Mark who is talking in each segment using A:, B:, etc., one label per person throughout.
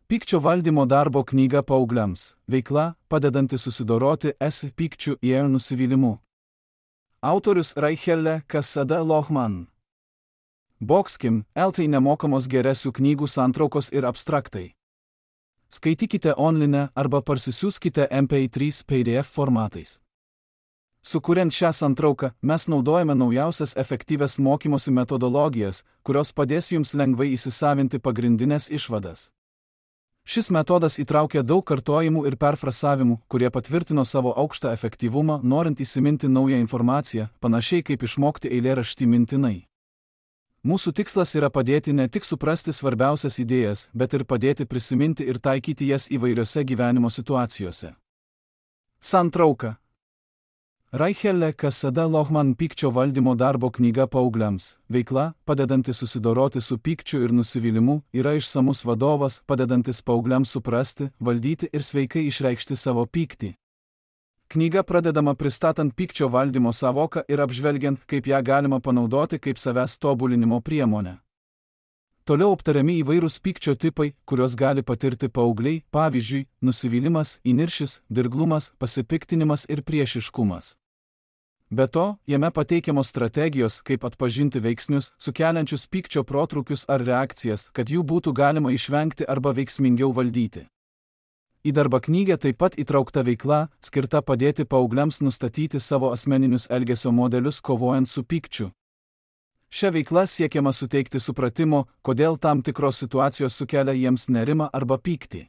A: Pykčio valdymo darbo knyga paaugliams. Veikla, padedanti susidoroti su pykčiu ir nusivylimu. Autorius Raichelle Cassada Lohman. Boxkim, LT nemokamos geresių knygų santraukos ir abstraktai. Skaitykite online arba parsisiųskite MP3 PDF formatais. Sukuriant šią santrauką, mes naudojame naujausias efektyvias mokymosi metodologijas, kurios padės jums lengvai įsisavinti pagrindinės išvadas. Šis metodas įtraukia daug kartojimų ir perfrasavimų, kurie patvirtino savo aukštą efektyvumą, norint įsiminti naują informaciją, panašiai kaip išmokti eilėraštį mintinai. Mūsų tikslas yra padėti ne tik suprasti svarbiausias idėjas, bet ir padėti prisiminti ir taikyti jas įvairiose gyvenimo situacijose. Santrauka. Raichelle Cassada Lohman Pykčio valdymo darbo knyga paaugliams. Veikla, padedanti susidoroti su pykčiu ir nusivylimu, yra išsamus vadovas, padedantis paaugliams suprasti, valdyti ir sveikai išreikšti savo pyktį. Knyga pradedama pristatant pykčio valdymo sąvoką ir apžvelgiant, kaip ją galima panaudoti kaip savęs tobulinimo priemonę. Toliau aptariami įvairūs pykčio tipai, kuriuos gali patirti paaugliai, pavyzdžiui, nusivylimas, įniršis, dirglumas, pasipiktinimas ir priešiškumas. Be to, jame pateikiamos strategijos, kaip atpažinti veiksnius, sukeliančius pykčio protrūkius ar reakcijas, kad jų būtų galima išvengti arba veiksmingiau valdyti. Į darbo knygą taip pat įtraukta veikla, skirta padėti paaugliams nustatyti savo asmeninius elgesio modelius kovojant su pykčiu. Šia veikla siekiama suteikti supratimo, kodėl tam tikros situacijos sukelia jiems nerimą arba pyktį.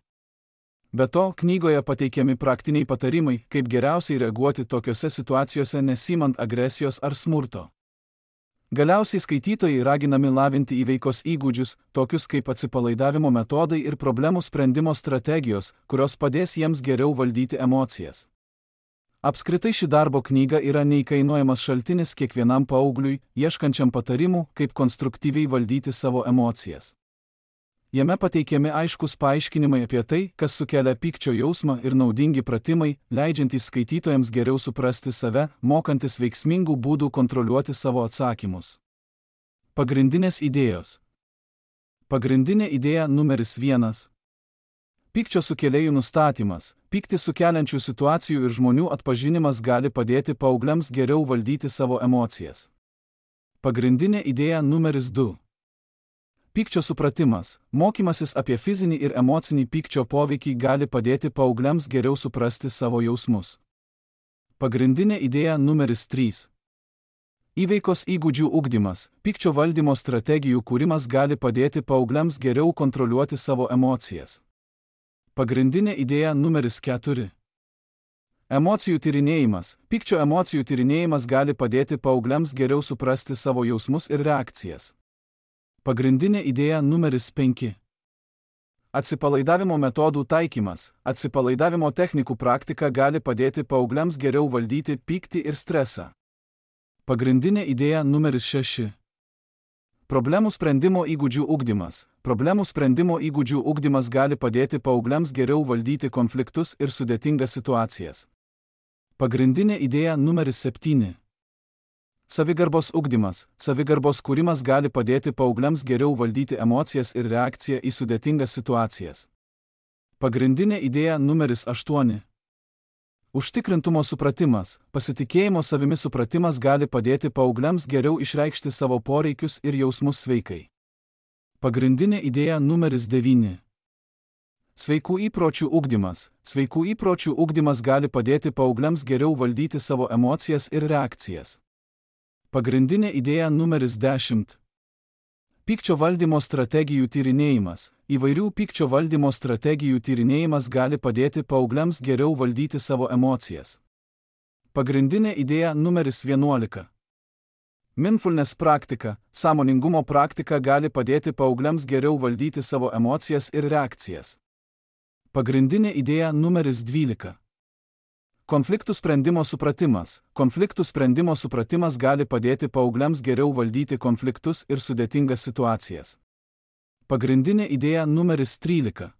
A: Be to, knygoje pateikiami praktiniai patarimai, kaip geriausiai reaguoti tokiose situacijose nesimant agresijos ar smurto. Galiausiai skaitytojai raginami lavinti įveikos įgūdžius, tokius kaip atsipalaidavimo metodai ir problemų sprendimo strategijos, kurios padės jiems geriau valdyti emocijas. Apskritai ši darbo knyga yra neįkainojamas šaltinis kiekvienam paaugliui, ieškančiam patarimų, kaip konstruktyviai valdyti savo emocijas. Jame pateikiami aiškus paaiškinimai apie tai, kas sukelia pykčio jausmą ir naudingi pratimai, leidžiantys skaitytojams geriau suprasti save, mokantis veiksmingų būdų kontroliuoti savo atsakymus. Pagrindinės idėjos. Pagrindinė idėja numeris 1. Pykčio sukėlėjų nustatymas. Pyktį sukeliančių situacijų ir žmonių atpažinimas gali padėti paaugliams geriau valdyti savo emocijas. Pagrindinė idėja numeris 2. Pykčio supratimas. Mokymasis apie fizinį ir emocinį pykčio poveikį gali padėti paaugliams geriau suprasti savo jausmus. Pagrindinė idėja numeris 3. Įveikos įgūdžių ugdymas. Pykčio valdymo strategijų kūrimas gali padėti paaugliams geriau kontroliuoti savo emocijas. Pagrindinė idėja numeris 4. Emocijų tyrinėjimas. Pykčio emocijų tyrinėjimas gali padėti paaugliams geriau suprasti savo jausmus ir reakcijas. Pagrindinė idėja numeris 5. Atsipalaidavimo metodų taikymas. Atsipalaidavimo technikų praktika gali padėti paaugliams geriau valdyti pyktį ir stresą. Pagrindinė idėja numeris 6. Problemų sprendimo įgūdžių ugdymas. Problemų sprendimo įgūdžių ugdymas gali padėti paaugliams geriau valdyti konfliktus ir sudėtingas situacijas. Pagrindinė idėja numeris 7. Savigarbos ugdymas. Savigarbos kūrimas gali padėti paaugliams geriau valdyti emocijas ir reakciją į sudėtingas situacijas. Pagrindinė idėja numeris 8. Užtikrintumo supratimas. Pasitikėjimo savimi supratimas gali padėti paaugliams geriau išreikšti savo poreikius ir jausmus sveikai. Pagrindinė idėja numeris 9. Sveikų įpročių ugdymas. Sveikų įpročių ugdymas gali padėti paaugliams geriau valdyti savo emocijas ir reakcijas. Pagrindinė idėja numeris 10. Pykčio valdymo strategijų tyrinėjimas. Įvairių pykčio valdymo strategijų tyrinėjimas gali padėti paaugliams geriau valdyti savo emocijas. Pagrindinė idėja numeris 11. Mindfulness praktika. Sąmoningumo praktika gali padėti paaugliams geriau valdyti savo emocijas ir reakcijas. Pagrindinė idėja numeris 12. Konfliktų sprendimo supratimas. Konfliktų sprendimo supratimas gali padėti paaugliams geriau valdyti konfliktus ir sudėtingas situacijas. Pagrindinė idėja numeris 13.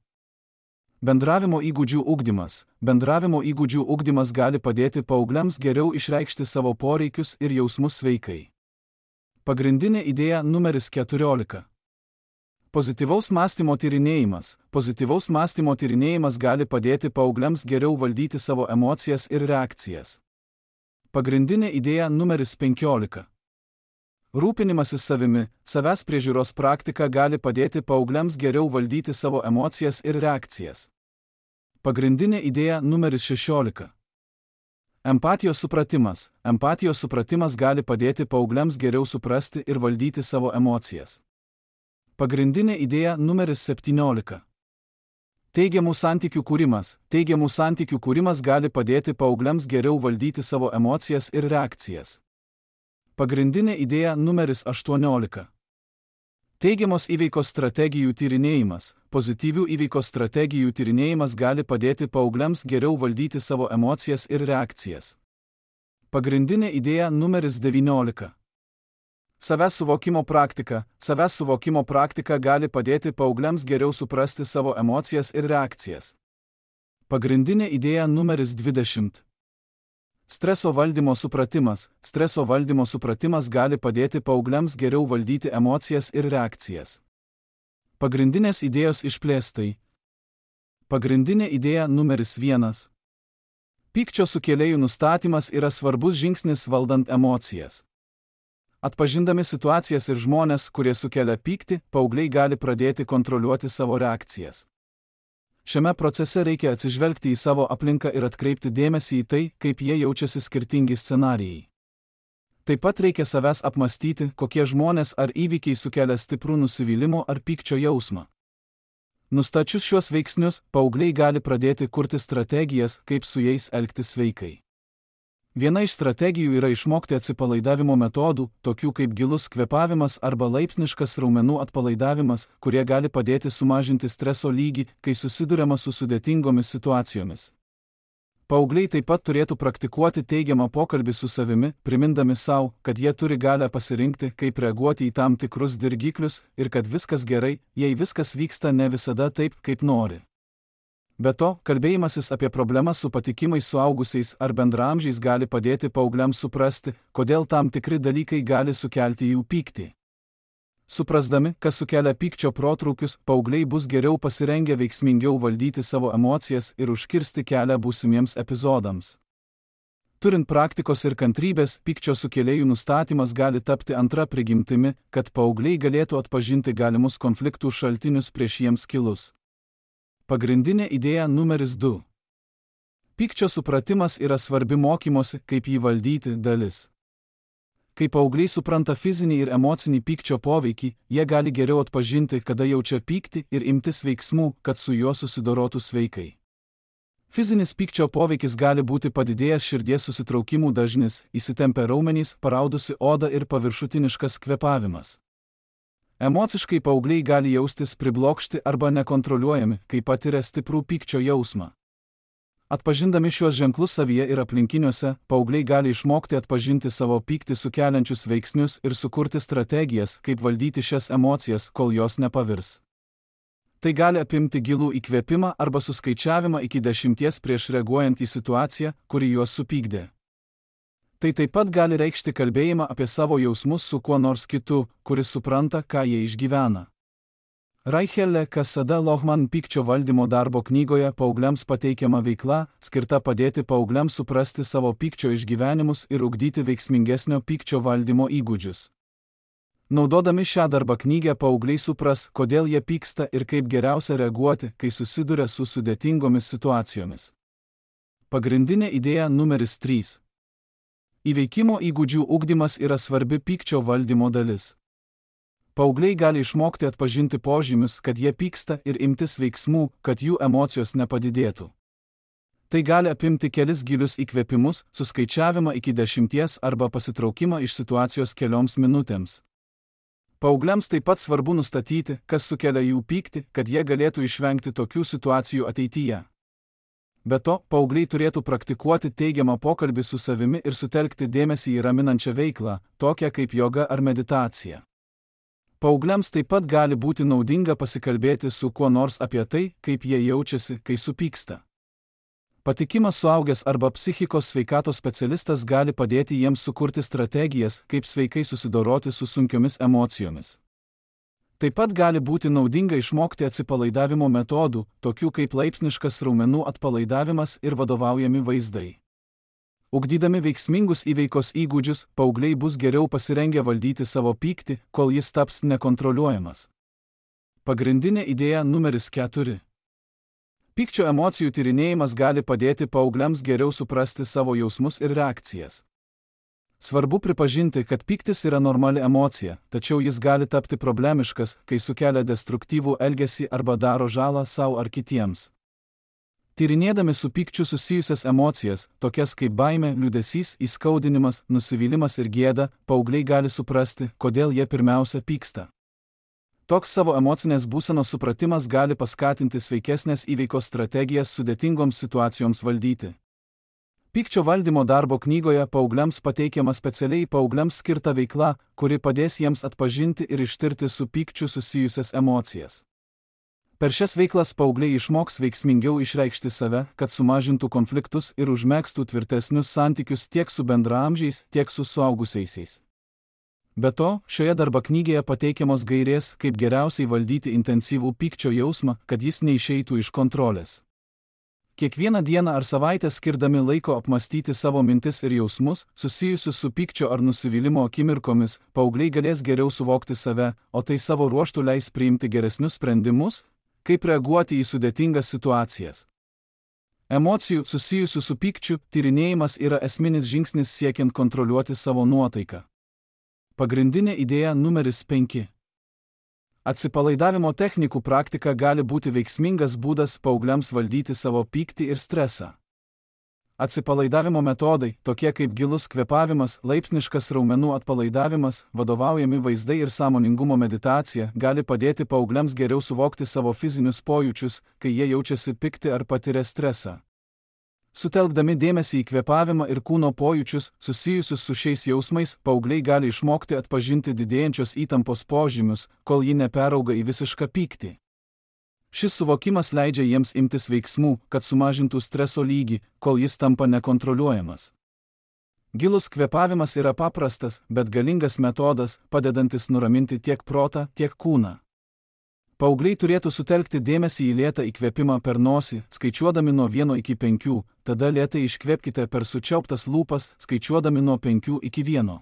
A: Bendravimo įgūdžių ugdymas. Bendravimo įgūdžių ugdymas gali padėti paaugliams geriau išreikšti savo poreikius ir jausmus sveikai. Pagrindinė idėja numeris 14. Pozityvaus mąstymo tyrinėjimas. Pozityvaus mąstymo tyrinėjimas gali padėti paaugliams geriau valdyti savo emocijas ir reakcijas. Pagrindinė idėja numeris 15. Rūpinimasis savimi, savęs priežiūros praktika gali padėti paaugliams geriau valdyti savo emocijas ir reakcijas. Pagrindinė idėja numeris 16. Empatijos supratimas. Empatijos supratimas gali padėti paaugliams geriau suprasti ir valdyti savo emocijas. Pagrindinė idėja numeris 17. Teigiamų santykių kūrimas. Teigiamų santykių kūrimas gali padėti paaugliams geriau valdyti savo emocijas ir reakcijas. Pagrindinė idėja numeris 18. Teigiamos įveikos strategijų tyrinėjimas. Pozityvių įveikos strategijų tyrinėjimas gali padėti paaugliams geriau valdyti savo emocijas ir reakcijas. Pagrindinė idėja numeris 19. Savęs suvokimo praktika. Savęs suvokimo praktika gali padėti paaugliams geriau suprasti savo emocijas ir reakcijas. Pagrindinė idėja numeris 20. Streso valdymo supratimas. Streso valdymo supratimas gali padėti paaugliams geriau valdyti emocijas ir reakcijas. Pagrindinės idėjos išplėstai. Pagrindinė idėja numeris 1. Pykčio sukėlėjų nustatymas yra svarbus žingsnis valdant emocijas. Atpažindami situacijas ir žmones, kurie sukelia pyktį, paaugliai gali pradėti kontroliuoti savo reakcijas. Šiame procese reikia atsižvelgti į savo aplinką ir atkreipti dėmesį į tai, kaip jie jaučiasi skirtingi scenarijai. Taip pat reikia savęs apmąstyti, kokie žmonės ar įvykiai sukelia stiprų nusivylimo ar pykčio jausmą. Nustačius šiuos veiksnius, paaugliai gali pradėti kurti strategijas, kaip su jais elgtis sveikai. Viena iš strategijų yra išmokti atsipalaidavimo metodų, tokių kaip gilus kvėpavimas arba laipsniškas raumenų atpalaidavimas, kurie gali padėti sumažinti streso lygį, kai susiduriama su sudėtingomis situacijomis. Paaugliai taip pat turėtų praktikuoti teigiamą pokalbį su savimi, primindami savo, kad jie turi galią pasirinkti, kaip reaguoti į tam tikrus dirgiklius ir kad viskas gerai, jei viskas vyksta ne visada taip, kaip nori. Be to, kalbėjimasis apie problemas su patikimais suaugusiais ar bendraamžiais gali padėti paaugliams suprasti, kodėl tam tikri dalykai gali sukelti jų pyktį. Suprasdami, kas sukelia pykčio protrūkius, paaugliai bus geriau pasirengę veiksmingiau valdyti savo emocijas ir užkirsti kelią būsimiems epizodams. Turint praktikos ir kantrybės, pykčio sukėlėjų nustatymas gali tapti antra prigimtimi, kad paaugliai galėtų atpažinti galimus konfliktų šaltinius prieš jiems kilus. Pagrindinė idėja numeris 2. Pykčio supratimas yra svarbi mokymosi, kaip jį valdyti dalis. Kai paaugliai supranta fizinį ir emocinį pykčio poveikį, jie gali geriau atpažinti, kada jaučia pyktį ir imtis veiksmų, kad su juo susidorotų sveikai. Fizinis pykčio poveikis gali būti padidėjęs širdies susitraukimų dažnis, įsitempę raumenys, paraudusi oda ir paviršutiniškas kvėpavimas. Emociškai paaugliai gali jaustis priblokšti arba nekontroliuojami, kai patiria stiprų pykčio jausmą. Atpažindami šiuos ženklus savyje ir aplinkiniuose, paaugliai gali išmokti atpažinti savo pyktį sukeliančius veiksnius ir sukurti strategijas, kaip valdyti šias emocijas, kol jos nepavirs. Tai gali apimti gilų įkvėpimą arba suskaičiavimą iki 10 prieš reaguojant į situaciją, kuri juos supykdė. Tai taip pat gali reikšti kalbėjimą apie savo jausmus su kuo nors kitu, kuris supranta, ką jie išgyvena. Raichelle Cassada Lohman pykčio valdymo darbo knygoje paaugliams pateikiama veikla, skirta padėti paaugliams suprasti savo pykčio išgyvenimus ir ugdyti veiksmingesnio pykčio valdymo įgūdžius. Naudodami šią darbo knygą paaugliai supras, kodėl jie pyksta ir kaip geriausia reaguoti, kai susiduria su sudėtingomis situacijomis. Pagrindinė idėja numeris 3. Įveikimo įgūdžių ugdymas yra svarbi pykčio valdymo dalis. Paaugliai gali išmokti atpažinti požymius, kad jie pyksta ir imtis veiksmų, kad jų emocijos nepadidėtų. Tai gali apimti kelis gilius įkvėpimus, suskaičiavimą iki 10 arba pasitraukimą iš situacijos kelioms minutėms. Paaugliams taip pat svarbu nustatyti, kas sukelia jų pyktį, kad jie galėtų išvengti tokių situacijų ateityje. Be to, paaugliai turėtų praktikuoti teigiamą pokalbį su savimi ir sutelkti dėmesį į raminančią veiklą, tokią kaip joga ar meditacija. Paaugliams taip pat gali būti naudinga pasikalbėti su kuo nors apie tai, kaip jie jaučiasi, kai supyksta. Patikimas suaugęs arba psichikos sveikatos specialistas gali padėti jiems sukurti strategijas, kaip sveikai susidoroti su sunkiomis emocijomis. Taip pat gali būti naudinga išmokti atsipalaidavimo metodų, tokių kaip laipsniškas raumenų atpalaidavimas ir vadovaujami vaizdai. Ugdydami veiksmingus įveikos įgūdžius, paaugliai bus geriau pasirengę valdyti savo pyktį, kol jis taps nekontroliuojamas. Pagrindinė idėja numeris 4. Pykčio emocijų tyrinėjimas gali padėti paaugliams geriau suprasti savo jausmus ir reakcijas. Svarbu pripažinti, kad pyktis yra normali emocija, tačiau jis gali tapti problemiškas, kai sukelia destruktyvų elgesį arba daro žalą sau ar kitiems. Tyrinėdami su pykčiu susijusias emocijas, tokias kaip baimė, liūdesys, įskaudinimas, nusivylimas ir gėda, paaugliai gali suprasti, kodėl jie pirmiausia pyksta. Toks savo emocinės būsenos supratimas gali paskatinti sveikesnės įveikos strategijas sudėtingoms situacijoms valdyti. Pykčio valdymo darbo knygoje paaugliams pateikiama specialiai paaugliams skirta veikla, kuri padės jiems atpažinti ir ištirti su pykčiu susijusias emocijas. Per šias veiklas paaugliai išmoks veiksmingiau išreikšti save, kad sumažintų konfliktus ir užmegztų tvirtesnius santykius tiek su bendraamžiais, tiek su suaugusiaisiais. Be to, šioje darbo knygoje pateikiamos gairės, kaip geriausiai valdyti intensyvų pykčio jausmą, kad jis neišeitų iš kontrolės. Kiekvieną dieną ar savaitę skirdami laiko apmastyti savo mintis ir jausmus, susijusius su pykčio ar nusivylimo akimirkomis, paaugliai galės geriau suvokti save, o tai savo ruožtu leis priimti geresnius sprendimus, kaip reaguoti į sudėtingas situacijas. Emocijų susijusių su pykčiu tyrinėjimas yra esminis žingsnis siekiant kontroliuoti savo nuotaiką. Pagrindinė idėja numeris 5. Atsipalaidavimo technikų praktika gali būti veiksmingas būdas paaugliams valdyti savo pyktį ir stresą. Atsipalaidavimo metodai, tokie kaip gilus kvėpavimas, laipsniškas raumenų atpalaidavimas, vadovaujami vaizdai ir sąmoningumo meditacija, gali padėti paaugliams geriau suvokti savo fizinius pojūčius, kai jie jaučiasi pikti ar patiria stresą. Sutelkdami dėmesį į kvėpavimą ir kūno pojūčius, susijusius su šiais jausmais, paaugliai gali išmokti atpažinti didėjančios įtampos požymius, kol ji neperauga į visišką pyktį. Šis suvokimas leidžia jiems imtis veiksmų, kad sumažintų streso lygį, kol jis tampa nekontroliuojamas. Gilus kvėpavimas yra paprastas, bet galingas metodas, padedantis nuraminti tiek protą, tiek kūną. Paaugliai turėtų sutelkti dėmesį į lėtą įkvėpimą per nosį, skaičiuodami nuo 1 iki 5, tada lėtai iškvėpkite per sučiauptas lūpas, skaičiuodami nuo 5 iki 1.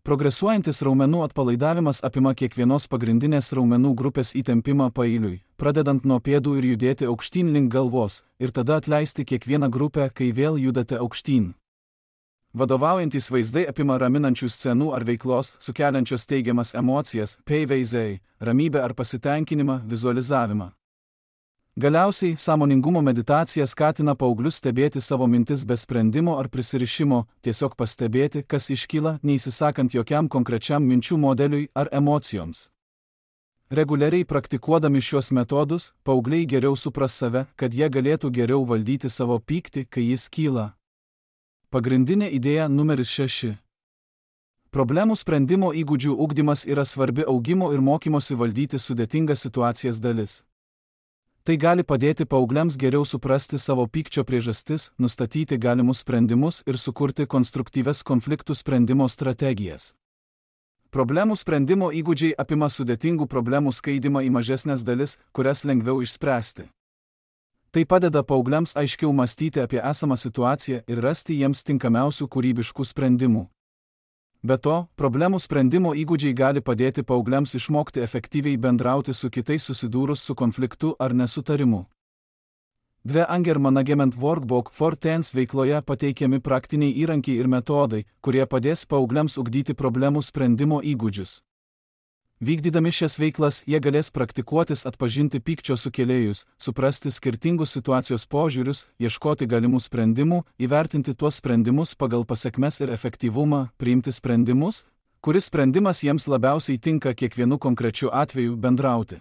A: Progresuojantis raumenų atpalaidavimas apima kiekvienos pagrindinės raumenų grupės įtempimą paeiliui, pradedant nuo pėdų ir judėti aukštyn link galvos, ir tada atleisti kiekvieną grupę, kai vėl judate aukštyn. Vadovaujantis vaizdai apima raminančių scenų ar veiklos, sukeliančios teigiamas emocijas, vaizdai, ramybę ar pasitenkinimą, vizualizavimą. Galiausiai, sąmoningumo meditacija skatina paauglius stebėti savo mintis be sprendimo ar prisirišimo, tiesiog pastebėti, kas iškyla, neįsisakant jokiam konkrečiam minčių modeliui ar emocijoms. Reguliariai praktikuodami šios metodus, paaugliai geriau supras save, kad jie galėtų geriau valdyti savo pyktį, kai jis kyla. Pagrindinė idėja numeris 6. Problemų sprendimo įgūdžių ugdymas yra svarbi augimo ir mokymosi valdyti sudėtingas situacijas dalis. Tai gali padėti paaugliams geriau suprasti savo pykčio priežastis, nustatyti galimus sprendimus ir sukurti konstruktyvias konfliktų sprendimo strategijas. Problemų sprendimo įgūdžiai apima sudėtingų problemų skaidymą į mažesnės dalis, kurias lengviau išspręsti. Tai padeda paaugliams aiškiau mąstyti apie esamą situaciją ir rasti jiems tinkamiausių kūrybiškų sprendimų. Be to, problemų sprendimo įgūdžiai gali padėti paaugliams išmokti efektyviai bendrauti su kitais susidūrus su konfliktu ar nesutarimu. Anger Management Workbook for Teens veikloje pateikiami praktiniai įrankiai ir metodai, kurie padės paaugliams ugdyti problemų sprendimo įgūdžius. Vykdydami šias veiklas, jie galės praktikuotis atpažinti pykčio sukėlėjus, suprasti skirtingus situacijos požiūrius, ieškoti galimų sprendimų, įvertinti tuos sprendimus pagal pasekmes ir efektyvumą, priimti sprendimus, kuris sprendimas jiems labiausiai tinka kiekvienu konkrečiu atveju bendrauti.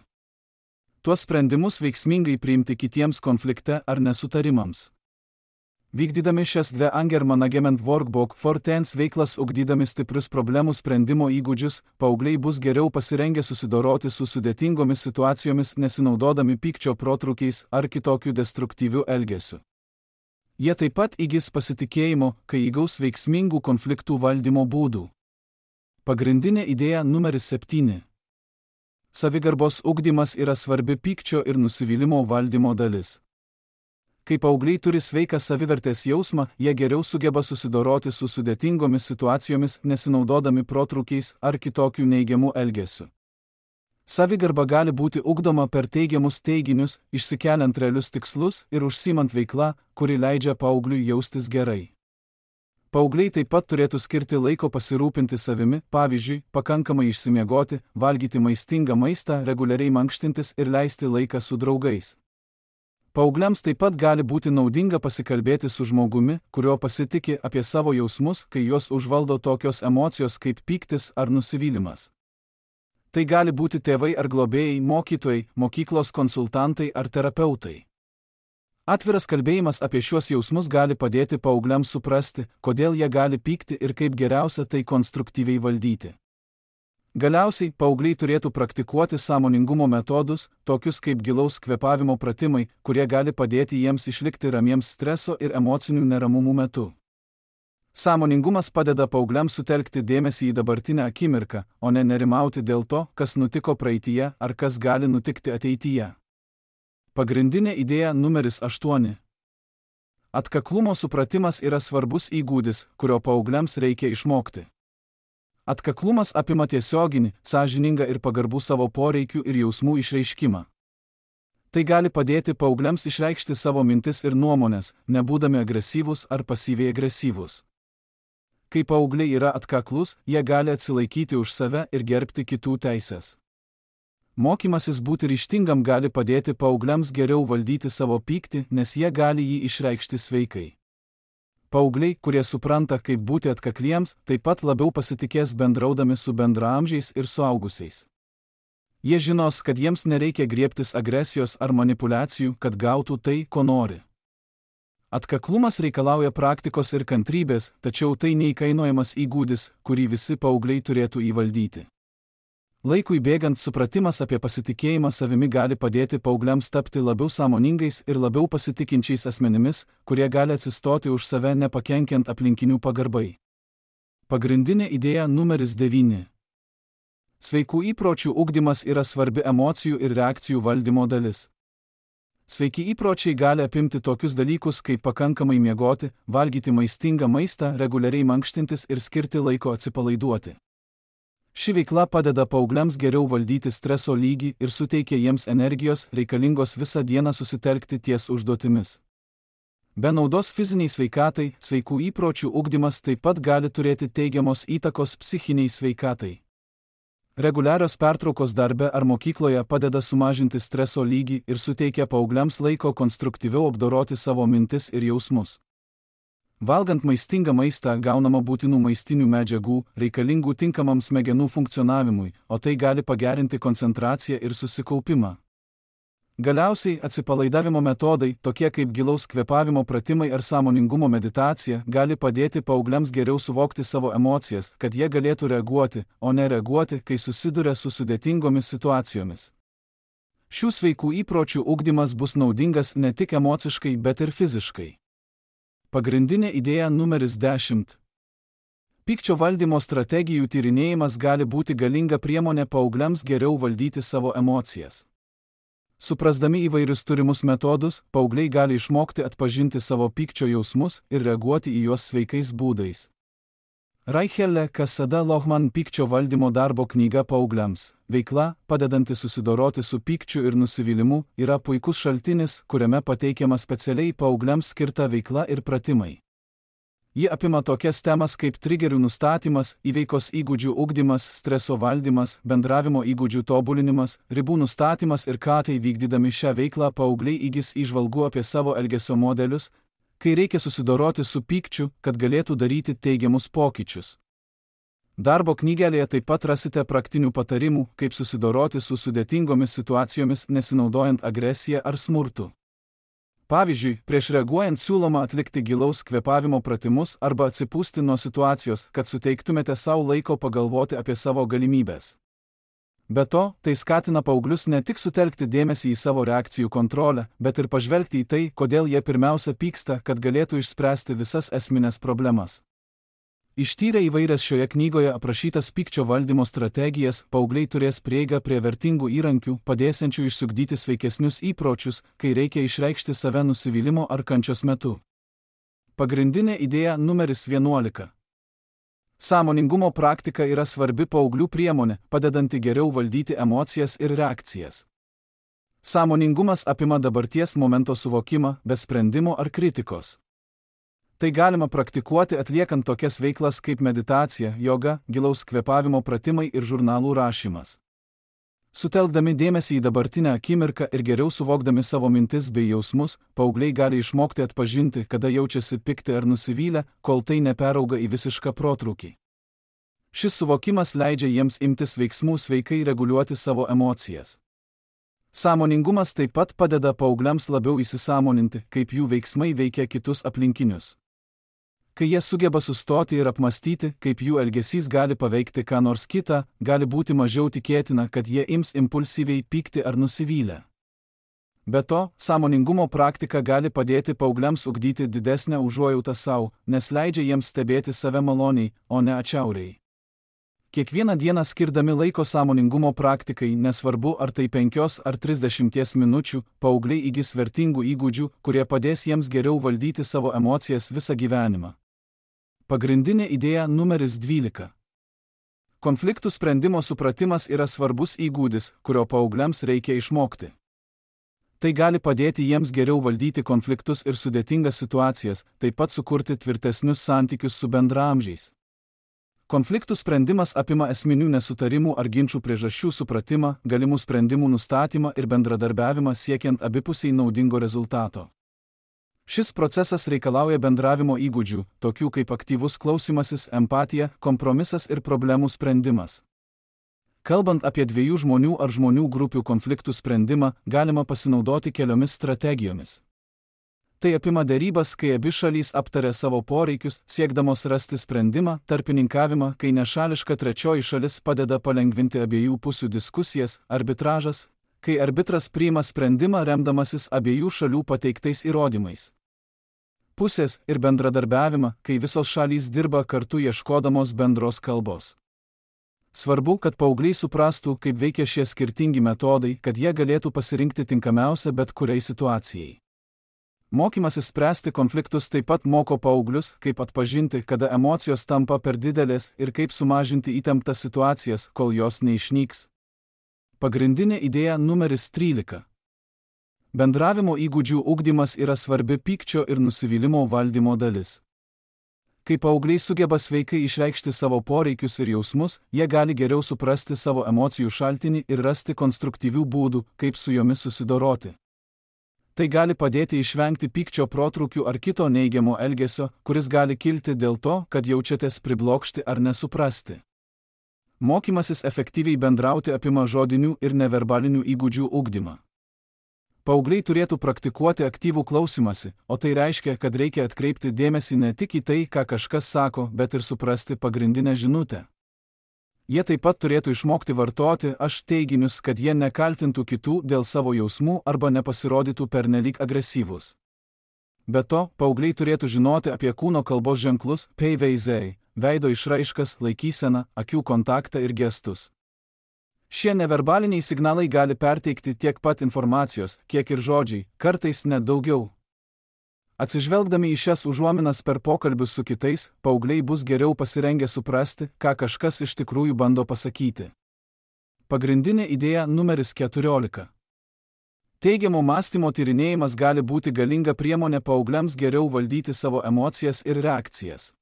A: Tuos sprendimus veiksmingai priimti kitiems konflikte ar nesutarimams. Vykdydami šias Anger Management Workbook for Teens veiklas ugdydami stiprius problemų sprendimo įgūdžius, paaugliai bus geriau pasirengę susidoroti su sudėtingomis situacijomis nesinaudodami pykčio protrūkiais ar kitokiu destruktyviu elgesiu. Jie taip pat įgis pasitikėjimo, kai įgaus veiksmingų konfliktų valdymo būdų. Pagrindinė idėja numeris 7. Savigarbos ugdymas yra svarbi pykčio ir nusivylimo valdymo dalis. Kai paaugliai turi sveiką savivertės jausmą, jie geriau sugeba susidoroti su sudėtingomis situacijomis, nesinaudodami protrūkiais ar kitokių neigiamų elgesių. Savigarba gali būti ugdoma per teigiamus teiginius, išsikeliant realius tikslus ir užsiimant veiklą, kuri leidžia paaugliui jaustis gerai. Paaugliai taip pat turėtų skirti laiko pasirūpinti savimi, pavyzdžiui, pakankamai išsimiegoti, valgyti maistingą maistą, reguliariai mankštintis ir leisti laiką su draugais. Paaugliams taip pat gali būti naudinga pasikalbėti su žmogumi, kurio pasitiki apie savo jausmus, kai juos užvaldo tokios emocijos kaip pyktis ar nusivylimas. Tai gali būti tėvai ar globėjai, mokytojai, mokyklos konsultantai ar terapeutai. Atviras kalbėjimas apie šiuos jausmus gali padėti paaugliams suprasti, kodėl jie gali pykti ir kaip geriausia tai konstruktyviai valdyti. Galiausiai, paaugliai turėtų praktikuoti sąmoningumo metodus, tokius kaip gilaus kvėpavimo pratimai, kurie gali padėti jiems išlikti ramiems streso ir emocinių neramumų metu. Sąmoningumas padeda paaugliams sutelkti dėmesį į dabartinę akimirką, o ne nerimauti dėl to, kas nutiko praeityje ar kas gali nutikti ateityje. Pagrindinė idėja numeris 8. Atkaklumo supratimas yra svarbus įgūdis, kurio paaugliams reikia išmokti. Atkaklumas apima tiesioginį, sąžiningą ir pagarbų savo poreikių ir jausmų išreiškimą. Tai gali padėti paaugliams išreikšti savo mintis ir nuomonės, nebūdami agresyvūs ar pasyviai agresyvūs. Kai paaugliai yra atkaklus, jie gali atsilaikyti už save ir gerbti kitų teises. Mokymasis būti ryžtingam gali padėti paaugliams geriau valdyti savo pyktį, nes jie gali jį išreikšti sveikai. Paaugliai, kurie supranta, kaip būti atkakliems, taip pat labiau pasitikės bendraudami su bendraamžiais ir suaugusiais. Jie žinos, kad jiems nereikia griebtis agresijos ar manipulacijų, kad gautų tai, ko nori. Atkaklumas reikalauja praktikos ir kantrybės, tačiau tai neįkainojamas įgūdis, kurį visi paaugliai turėtų įvaldyti. Laikui bėgant supratimas apie pasitikėjimą savimi gali padėti paaugliams tapti labiau sąmoningais ir labiau pasitikinčiais asmenimis, kurie gali atsistoti už save nepakenkiant aplinkinių pagarbai. Pagrindinė idėja numeris 9. Sveikų įpročių ugdymas yra svarbi emocijų ir reakcijų valdymo dalis. Sveiki įpročiai gali apimti tokius dalykus kaip pakankamai miegoti, valgyti maistingą maistą, reguliariai mankštintis ir skirti laiko atsipalaiduoti. Ši veikla padeda paaugliams geriau valdyti streso lygį ir suteikia jiems energijos, reikalingos visą dieną susitelkti ties užduotimis. Be naudos fiziniai sveikatai, sveikų įpročių ugdymas taip pat gali turėti teigiamos įtakos psichiniai sveikatai. Reguliarios pertraukos darbe ar mokykloje padeda sumažinti streso lygį ir suteikia paaugliams laiko konstruktyviau apdoroti savo mintis ir jausmus. Valgant maistingą maistą gaunama būtinų maistinių medžiagų, reikalingų tinkamam smegenų funkcionavimui, o tai gali pagerinti koncentraciją ir susikaupimą. Galiausiai atsipalaidavimo metodai, tokie kaip gilaus kvėpavimo pratimai ar sąmoningumo meditacija, gali padėti paaugliams geriau suvokti savo emocijas, kad jie galėtų reaguoti, o ne reaguoti, kai susiduria su sudėtingomis situacijomis. Šių sveikų įpročių ugdymas bus naudingas ne tik emociškai, bet ir fiziškai. Pagrindinė idėja numeris 10. Pykčio valdymo strategijų tyrinėjimas gali būti galinga priemonė paaugliams geriau valdyti savo emocijas. Suprasdami įvairius turimus metodus, paaugliai gali išmokti atpažinti savo pykčio jausmus ir reaguoti į juos sveikais būdais. Raichelle Cassada Lohman pykčio valdymo darbo knyga paaugliams. Veikla, padedanti susidoroti su pykčiu ir nusivylimu, yra puikus šaltinis, kuriame pateikiama specialiai paaugliams skirta veikla ir pratimai. Ji apima tokias temas kaip trigerių nustatymas, įveikos įgūdžių ugdymas, streso valdymas, bendravimo įgūdžių tobulinimas, ribų nustatymas ir ką tai vykdydami šią veiklą paaugliai įgis įžvalgų apie savo elgesio modelius, kai reikia susidoroti su pykčiu, kad galėtų daryti teigiamus pokyčius. Darbo knygelėje taip pat rasite praktinių patarimų, kaip susidoroti su sudėtingomis situacijomis nesinaudojant agresiją ar smurtu. Pavyzdžiui, prieš reaguojant siūloma atlikti gilaus kvėpavimo pratimus arba atsipūsti nuo situacijos, kad suteiktumėte savo laiko pagalvoti apie savo galimybės. Be to, tai skatina paauglius ne tik sutelkti dėmesį į savo reakcijų kontrolę, bet ir pažvelgti į tai, kodėl jie pirmiausia pyksta, kad galėtų išspręsti visas esminės problemas. Ištyrę įvairias šioje knygoje aprašytas pykčio valdymo strategijas, paaugliai turės prieigą prie vertingų įrankių, padėsiančių išsiugdyti sveikesnius įpročius, kai reikia išreikšti save nusivylimo ar kančios metu. Pagrindinė idėja numeris 11. Sąmoningumo praktika yra svarbi paauglių priemonė, padedanti geriau valdyti emocijas ir reakcijas. Sąmoningumas apima dabarties momento suvokimą, be sprendimo ar kritikos. Tai galima praktikuoti atliekant tokias veiklas kaip meditacija, joga, gilaus kvėpavimo pratimai ir žurnalų rašymas. Sutelkdami dėmesį į dabartinę akimirką ir geriau suvokdami savo mintis bei jausmus, paaugliai gali išmokti atpažinti, kada jaučiasi pikti ar nusivylę, kol tai neperauga į visišką protrūkį. Šis suvokimas leidžia jiems imtis veiksmų sveikai reguliuoti savo emocijas. Sąmoningumas taip pat padeda paaugliams labiau įsisąmoninti, kaip jų veiksmai veikia kitus aplinkinius. Kai jie sugeba sustoti ir apmastyti, kaip jų elgesys gali paveikti ką nors kitą, gali būti mažiau tikėtina, kad jie ims impulsyviai pykti ar nusivylę. Be to, sąmoningumo praktika gali padėti paaugliams ugdyti didesnę užuojautą savo, nes leidžia jiems stebėti save maloniai, o ne atšiauriai. Kiekvieną dieną skirdami laiko sąmoningumo praktikai, nesvarbu ar tai 5 ar 30 minučių, paaugliai įgis vertingų įgūdžių, kurie padės jiems geriau valdyti savo emocijas visą gyvenimą. Pagrindinė idėja numeris 12. Konfliktų sprendimo supratimas yra svarbus įgūdis, kurio paaugliams reikia išmokti. Tai gali padėti jiems geriau valdyti konfliktus ir sudėtingas situacijas, taip pat sukurti tvirtesnius santykius su bendraamžiais. Konfliktų sprendimas apima esminių nesutarimų ar ginčių priežasčių supratimą, galimų sprendimų nustatymą ir bendradarbiavimą siekiant abipusiai naudingo rezultato. Šis procesas reikalauja bendravimo įgūdžių, tokių kaip aktyvus klausymasis, empatija, kompromisas ir problemų sprendimas. Kalbant apie dviejų žmonių ar žmonių grupių konfliktų sprendimą, galima pasinaudoti keliomis strategijomis. Tai apima derybas, kai abi šalys aptaria savo poreikius, siekdamos rasti sprendimą, tarpininkavimą, kai nešališka trečioji šalis padeda palengvinti abiejų pusių diskusijas, arbitražas, kai arbitras priima sprendimą remdamasis abiejų šalių pateiktais įrodymais. Pusės ir bendradarbiavimą, kai visos šalys dirba kartu ieškodamos bendros kalbos. Svarbu, kad paaugliai suprastų, kaip veikia šie skirtingi metodai, kad jie galėtų pasirinkti tinkamiausią bet kuriai situacijai. Mokymasis spręsti konfliktus taip pat moko paauglius, kaip atpažinti, kada emocijos tampa per didelės ir kaip sumažinti įtemptas situacijas, kol jos neišnyks. Pagrindinė idėja numeris 13. Bendravimo įgūdžių ugdymas yra svarbi pykčio ir nusivylimo valdymo dalis. Kai paaugliai sugeba sveikai išreikšti savo poreikius ir jausmus, jie gali geriau suprasti savo emocijų šaltinį ir rasti konstruktyvių būdų, kaip su jomis susidoroti. Tai gali padėti išvengti pykčio protrūkių ar kito neigiamo elgesio, kuris gali kilti dėl to, kad jaučiatės priblokšti ar nesuprasti. Mokymasis efektyviai bendrauti apima žodinių ir neverbalinių įgūdžių ugdymą. Paaugliai turėtų praktikuoti aktyvų klausymąsi, o tai reiškia, kad reikia atkreipti dėmesį ne tik į tai, ką kažkas sako, bet ir suprasti pagrindinę žinutę. Jie taip pat turėtų išmokti vartoti aš teiginius, kad jie nekaltintų kitų dėl savo jausmų arba nepasirodytų pernelyg agresyvūs. Be to, paaugliai turėtų žinoti apie kūno kalbos ženklus, peiveizei, veido išraiškas, laikyseną, akių kontaktą ir gestus. Šie neverbaliniai signalai gali perteikti tiek pat informacijos, kiek ir žodžiai, kartais net daugiau. Atsižvelgdami į šias užuominas per pokalbius su kitais, paaugliai bus geriau pasirengę suprasti, ką kažkas iš tikrųjų bando pasakyti. Pagrindinė idėja numeris 14. Teigiamo mąstymo tyrinėjimas gali būti galinga priemonė paaugliams geriau valdyti savo emocijas ir reakcijas.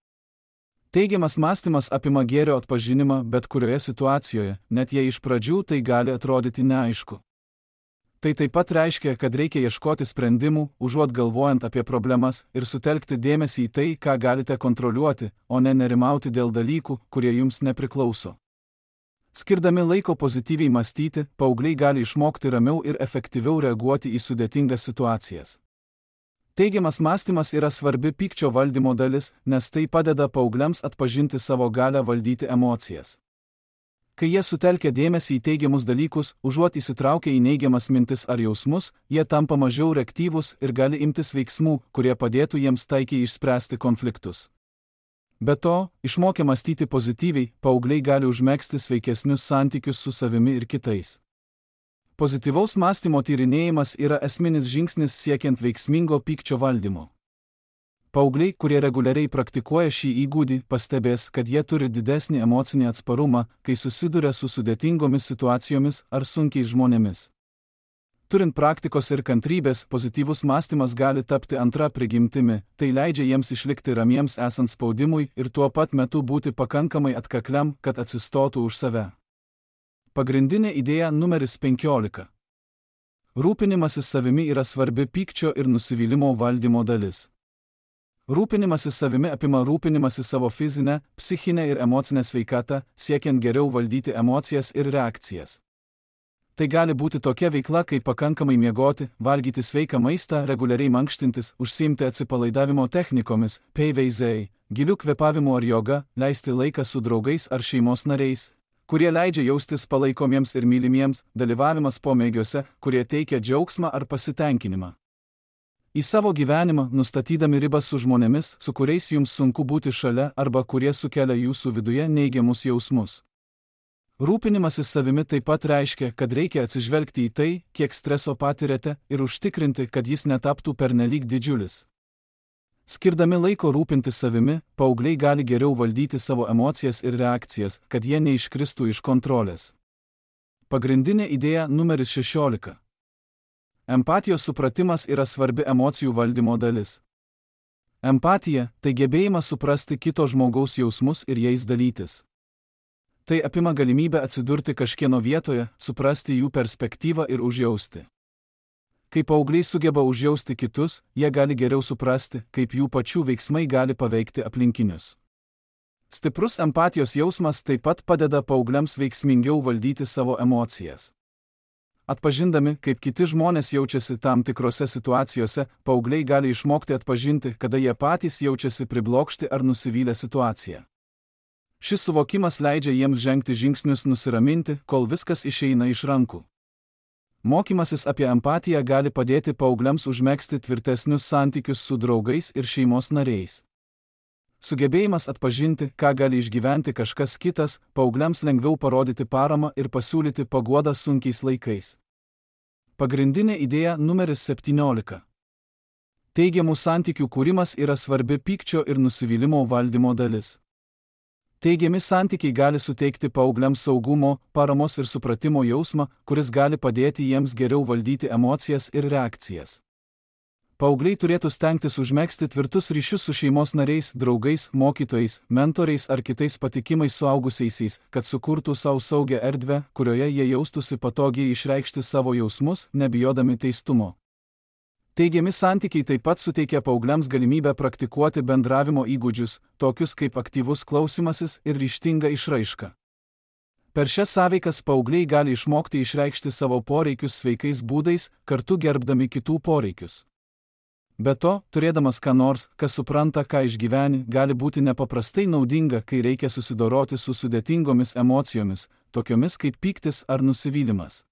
A: Teigiamas mąstymas apima gėrio atpažinimą bet kurioje situacijoje, net jei iš pradžių tai gali atrodyti neaišku. Tai taip pat reiškia, kad reikia ieškoti sprendimų, užuot galvojant apie problemas ir sutelkti dėmesį į tai, ką galite kontroliuoti, o ne nerimauti dėl dalykų, kurie jums nepriklauso. Skirdami laiko pozityviai mąstyti, paaugliai gali išmokti ramiau ir efektyviau reaguoti į sudėtingas situacijas. Teigiamas mąstymas yra svarbi pykčio valdymo dalis, nes tai padeda paaugliams atpažinti savo galią valdyti emocijas. Kai jie sutelkia dėmesį į teigiamus dalykus, užuot įsitraukę į neigiamas mintis ar jausmus, jie tampa mažiau reaktyvūs ir gali imtis veiksmų, kurie padėtų jiems taikiai išspręsti konfliktus. Be to, išmokę mąstyti pozityviai, paaugliai gali užmegzti sveikesnius santykius su savimi ir kitais. Pozityvaus mąstymo tyrinėjimas yra esminis žingsnis siekiant veiksmingo pykčio valdymo. Paaugliai, kurie reguliariai praktikuoja šį įgūdį, pastebės, kad jie turi didesnį emocinį atsparumą, kai susiduria su sudėtingomis situacijomis ar sunkiais žmonėmis. Turint praktikos ir kantrybės, pozityvus mąstymas gali tapti antra prigimtimi, tai leidžia jiems išlikti ramiems esant spaudimui ir tuo pat metu būti pakankamai atkakliam, kad atsistotų už save. Pagrindinė idėja numeris 15. Rūpinimasis savimi yra svarbi pykčio ir nusivylimo valdymo dalis. Rūpinimasis savimi apima rūpinimasi savo fizinę, psichinę ir emocinę sveikatą, siekiant geriau valdyti emocijas ir reakcijas. Tai gali būti tokia veikla, kaip pakankamai miegoti, valgyti sveiką maistą, reguliariai mankštintis, užsiimti atsipalaidavimo technikomis, PVZ, gilių kvėpavimų ar joga, leisti laiką su draugais ar šeimos nariais, kurie leidžia jaustis palaikomiems ir mylimiems, dalyvavimas pomėgiuose, kurie teikia džiaugsmą ar pasitenkinimą. Į savo gyvenimą, nustatydami ribas su žmonėmis, su kuriais jums sunku būti šalia arba kurie sukelia jūsų viduje neigiamus jausmus. Rūpinimasis savimi taip pat reiškia, kad reikia atsižvelgti į tai, kiek streso patiriate ir užtikrinti, kad jis netaptų pernelyg didžiulis. Skirdami laiko rūpintis savimi, paaugliai gali geriau valdyti savo emocijas ir reakcijas, kad jie neiškristų iš kontrolės. Pagrindinė idėja numeris 16. Empatijos supratimas yra svarbi emocijų valdymo dalis. Empatija – tai gebėjimas suprasti kito žmogaus jausmus ir jais dalytis. Tai apima galimybę atsidurti kažkieno vietoje, suprasti jų perspektyvą ir užjausti. Kai paaugliai sugeba užjausti kitus, jie gali geriau suprasti, kaip jų pačių veiksmai gali paveikti aplinkinius. Stiprus empatijos jausmas taip pat padeda paaugliams veiksmingiau valdyti savo emocijas. Atpažindami, kaip kiti žmonės jaučiasi tam tikrose situacijose, paaugliai gali išmokti atpažinti, kada jie patys jaučiasi priblokšti ar nusivylę situaciją. Šis suvokimas leidžia jiems žengti žingsnius nusiraminti, kol viskas išeina iš rankų. Mokymasis apie empatiją gali padėti paaugliams užmegzti tvirtesnius santykius su draugais ir šeimos nariais. Sugebėjimas atpažinti, ką gali išgyventi kažkas kitas, paaugliams lengviau parodyti paramą ir pasiūlyti paguodą sunkiais laikais. Pagrindinė idėja numeris 17. Teigiamų santykių kūrimas yra svarbi pykčio ir nusivylimo valdymo dalis. Teigiami santykiai gali suteikti paaugliams saugumo, paramos ir supratimo jausmą, kuris gali padėti jiems geriau valdyti emocijas ir reakcijas. Paaugliai turėtų stengtis užmegzti tvirtus ryšius su šeimos nariais, draugais, mokytojais, mentoriais ar kitais patikimais suaugusiaisiais, kad sukurtų savo saugią erdvę, kurioje jie jaustųsi patogiai išreikšti savo jausmus, nebijodami teistumo. Teigiami santykiai taip pat suteikia paaugliams galimybę praktikuoti bendravimo įgūdžius, tokius kaip aktyvus klausimasis ir ryžtinga išraiška. Per šias sąveikas paaugliai gali išmokti išreikšti savo poreikius sveikais būdais, kartu gerbdami kitų poreikius. Be to, turėdamas ką nors, kas supranta, ką išgyveni, gali būti nepaprastai naudinga, kai reikia susidoroti su sudėtingomis emocijomis, tokiomis kaip pyktis ar nusivylimas.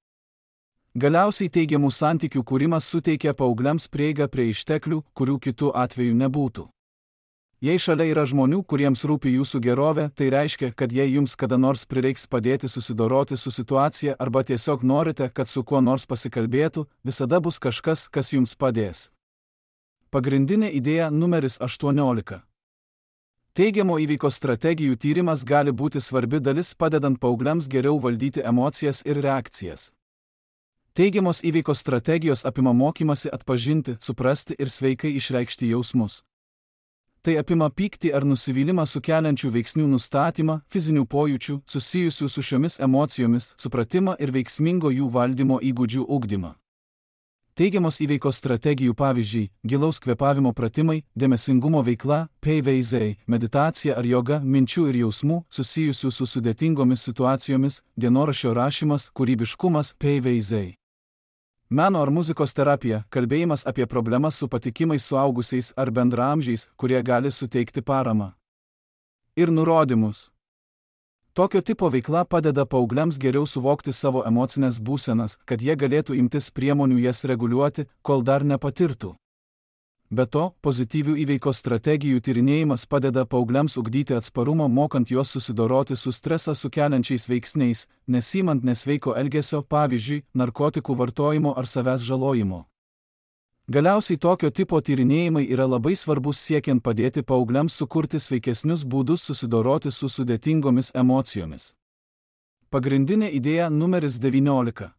A: Galiausiai teigiamų santykių kūrimas suteikia paaugliams prieigą prie išteklių, kurių kitų atveju nebūtų. Jei šalia yra žmonių, kuriems rūpi jūsų gerovė, tai reiškia, kad jei jums kada nors prireiks padėti susidoroti su situacija arba tiesiog norite, kad su kuo nors pasikalbėtų, visada bus kažkas, kas jums padės. Pagrindinė idėja numeris 18. Teigiamo įvyko strategijų tyrimas gali būti svarbi dalis padedant paaugliams geriau valdyti emocijas ir reakcijas. Teigiamos įvyko strategijos apima mokymasi atpažinti, suprasti ir sveikai išreikšti jausmus. Tai apima pyktį ar nusivylimą sukeliančių veiksnių nustatymą, fizinių pojūčių, susijusių su šiomis emocijomis, supratimą ir veiksmingo jų valdymo įgūdžių ugdymą. Teigiamos įveikos strategijų pavyzdžiai – gilaus kvėpavimo pratimai, dėmesingumo veikla, PVZ, meditacija ar joga, minčių ir jausmų, susijusių su sudėtingomis situacijomis, dienoraščio rašymas, kūrybiškumas, PVZ. Meno ar muzikos terapija – kalbėjimas apie problemas su patikimais suaugusiais ar bendraamžiais, kurie gali suteikti paramą. Ir nurodymus. Tokio tipo veikla padeda paaugliams geriau suvokti savo emocinės būsenas, kad jie galėtų imtis priemonių jas reguliuoti, kol dar nepatirtų. Be to, pozityvių įveikos strategijų tyrinėjimas padeda paaugliams ugdyti atsparumą, mokant juos susidoroti su stresą sukeliančiais veiksniais, nesimant nesveiko elgesio, pavyzdžiui, narkotikų vartojimo ar savęs žalojimo. Galiausiai tokio tipo tyrinėjimai yra labai svarbus siekiant padėti paaugliams sukurti sveikesnius būdus susidoroti su sudėtingomis emocijomis. Pagrindinė idėja numeris 19.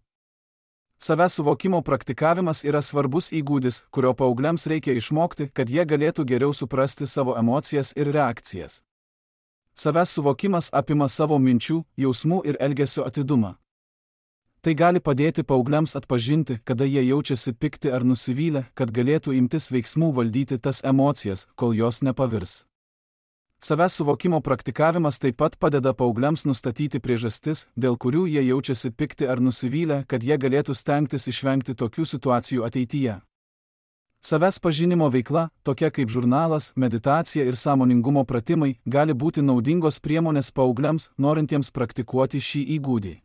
A: Savęs suvokimo praktikavimas yra svarbus įgūdis, kurio paaugliams reikia išmokti, kad jie galėtų geriau suprasti savo emocijas ir reakcijas. Savęs suvokimas apima savo minčių, jausmų ir elgesio atidumą. Tai gali padėti paaugliams atpažinti, kada jie jaučiasi pikti ar nusivylę, kad galėtų imtis veiksmų valdyti tas emocijas, kol jos nepavirs. Savęs suvokimo praktikavimas taip pat padeda paaugliams nustatyti priežastis, dėl kurių jie jaučiasi pikti ar nusivylę, kad jie galėtų stengtis išvengti tokių situacijų ateityje. Savęs pažinimo veikla, tokia kaip žurnalas, meditacija ir sąmoningumo pratimai, gali būti naudingos priemonės paaugliams, norintiems praktikuoti šį įgūdį.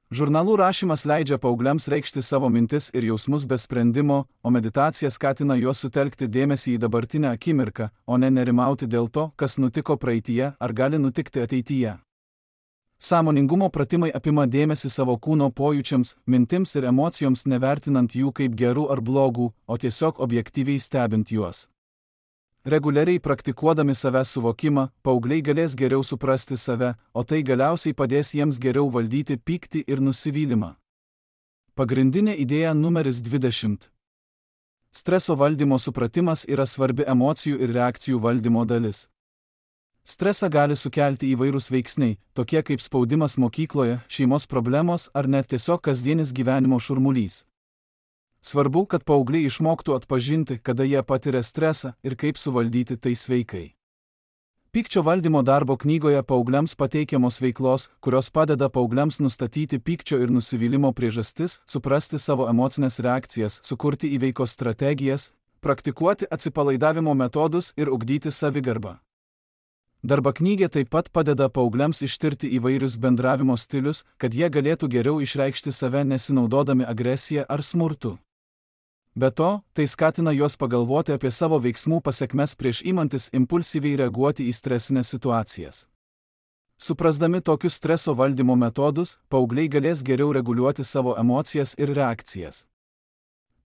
A: Žurnalų rašymas leidžia paaugliams reikšti savo mintis ir jausmus be sprendimo, o meditacija skatina juos sutelkti dėmesį į dabartinę akimirką, o ne nerimauti dėl to, kas nutiko praeityje ar gali nutikti ateityje. Sąmoningumo pratimai apima dėmesį savo kūno pojūčiams, mintims ir emocijoms, nevertinant jų kaip gerų ar blogų, o tiesiog objektyviai stebint juos. Reguliariai praktikuodami savęs suvokimą, paaugliai galės geriau suprasti save, o tai galiausiai padės jiems geriau valdyti pyktį ir nusivylimą. Pagrindinė idėja numeris 20. Streso valdymo supratimas yra svarbi emocijų ir reakcijų valdymo dalis. Stresą gali sukelti įvairūs veiksniai, tokie kaip spaudimas mokykloje, šeimos problemos ar net tiesiog kasdienis gyvenimo šurmulys. Svarbu, kad paaugliai išmoktų atpažinti, kada jie patiria stresą ir kaip suvaldyti tai sveikai. Pykčio valdymo darbo knygoje paaugliams pateikiamos veiklos, kurios padeda paaugliams nustatyti pykčio ir nusivylimo priežastis, suprasti savo emocinės reakcijas, sukurti įveikos strategijas, praktikuoti atsipalaidavimo metodus ir ugdyti savigarbą. Darbo knygė taip pat padeda paaugliams ištirti įvairius bendravimo stilius, kad jie galėtų geriau išreikšti save nesinaudodami agresiją ar smurtu. Be to, tai skatina juos pagalvoti apie savo veiksmų pasekmes prieš imantis impulsyviai reaguoti į stresinės situacijas. Suprasdami tokius streso valdymo metodus, paaugliai galės geriau reguliuoti savo emocijas ir reakcijas.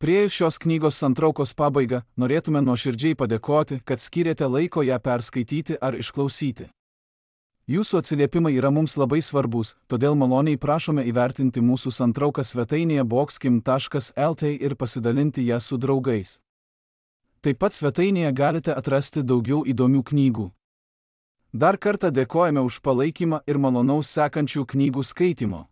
A: Priėjus šios knygos santraukos pabaigą, norėtume nuoširdžiai padėkoti, kad skyrėte laiko ją perskaityti ar išklausyti. Jūsų atsiliepimai yra mums labai svarbus, todėl maloniai prašome įvertinti mūsų santrauką svetainėje boxkim.lt ir pasidalinti ją su draugais. Taip pat svetainėje galite atrasti daugiau įdomių knygų. Dar kartą dėkojame už palaikymą ir malonaus sekančių knygų skaitimo.